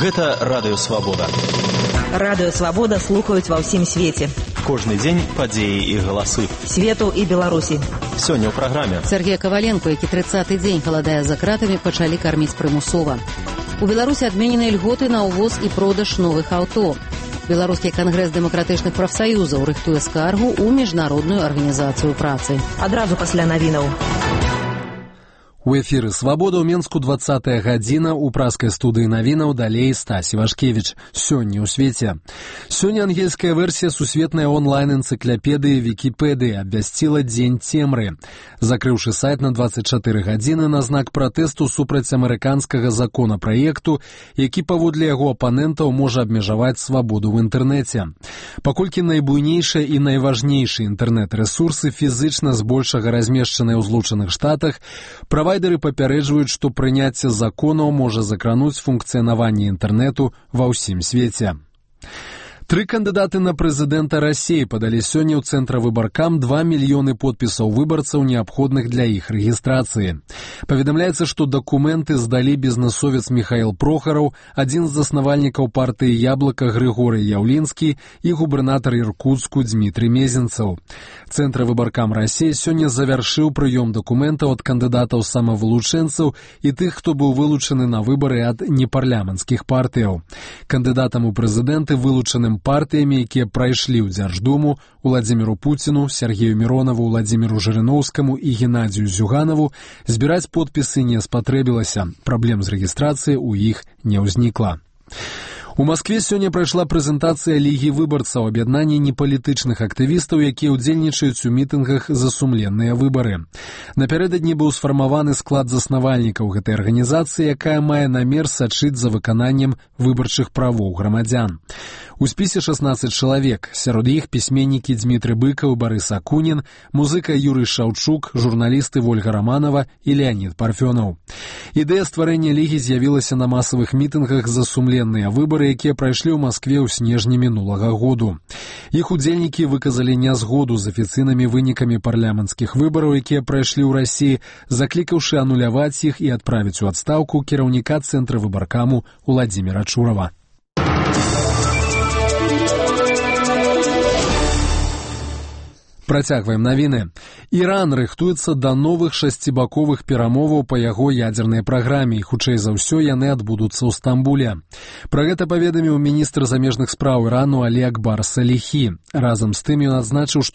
Гэта Радыё Свабода. Радыё Свабода слухаюць ва ўсім свеце. Кожны дзень падзеі і галасы. Свету і Беларусі. Сёння ў праграме. Сергей Коваленко, які 30-й дзень галадае за кратамі, пачалі карміць прымусова. У Беларусі адменены льготы на ўвоз і продаж новых аўто. Беларускі кангрэс дэмакратычных прафсаюзаў рыхтуе скаргу ў міжнародную арганізацыю працы. Адразу пасля навінаў. У эфіры «Свабода» ў Менску 20-я гадзіна, у праскай студыі навінаў далей Стась Івашкевіч. Сёння ў свеце. Сёння ангельская версія сусветнай онлайн-энцыклапедыі Вікіпедыі абвясціла дзень цемры, закрыўшы сайт на 24 гадзіны на знак пратэсту супраць амерыканскага законапраекту, які паводле яго апанентаў можа абмежаваць свабоду ў інтэрнэце. Паколькі найбуйнейшыя і найважнейшыя інтэрнэт-рэсурсы фізычна збольшага размешчаныя ў Злучаных Штатах, правайдеры папярэджваюць, што прыняцце законаў можа закрануць функцыянаванне інтэрнэту ва ўсім свеце. 3 кандыдаты на прэзідэнта Расіі падалі сёння ў Цэнтра выбаркам 2 мільёны подпісаў выбарцаў, неабходных для іх рэгістрацыі. Паведамляецца, што дакументы здалі бізнэсовец Міхаіл Прохараў, адзін з заснавальнікаў партыі «Яблыка» Грыгорый Яўлінскі і губернатар Іркутску Дмітрый Мезенцаў. Цэнтр выбаркам Расіі сёння завяршыў прыём дакументаў ад кандыдатаў-самавылучэнцаў і тых, хто быў вылучаны на выбары ад непарламенцкіх партыяў. Кандыдатам у прэзідэнты вылучаным партыямі, якія прайшлі ў Дзярждуму, Уладзіміру Пуціну, Сергею Міронаву, Уладзіміру Жырыноўскаму і Геннадзію Зюганаву, збіраць подпісы не спатрэбілася. Праблем з рэгістрацыяй у іх не ўзнікла. У Маскве сёння прайшла прэзентацыя Лігі выбарцаў, аб'яднання непалітычных актывістаў, якія ўдзельнічаюць у мітынгах за сумленныя выбары. Напярэдадні быў сфармаваны склад заснавальнікаў гэтай арганізацыі, якая мае намер сачыць за выкананнем выбарчых правоў грамадзян. У спісе 16 чалавек, сярод іх пісьменнікі Дмітрый Быкаў, Барыс Акунін, музыка Юрый Шаўчук, журналісты Вольга Раманова і Леонід Парфёнаў. Ідэя стварэння Лігі з'явілася на масавых мітынгах за сумленныя выбары, якія прайшлі ў Маскве ў снежні мінулага году. Іх удзельнікі выказалі нязгоду з афіцыйнымі вынікамі парламенцкіх выбараў, якія прайшлі ў Расіі, заклікаўшы ануляваць іх і адправіць у адстаўку кіраўніка Цэнтра выбаркаму Уладзіміра Чурава. Працягваем навіны. Іран рыхтуецца да новых 6-баковых перамоваў па яго ядзернай праграме, і хутчэй за ўсё яны адбудуцца ў Стамбуле. Пра гэта паведаміў міністр замежных спраў Ірану Алі Акбар Саліхі. Разам з тым ён адзначыў, што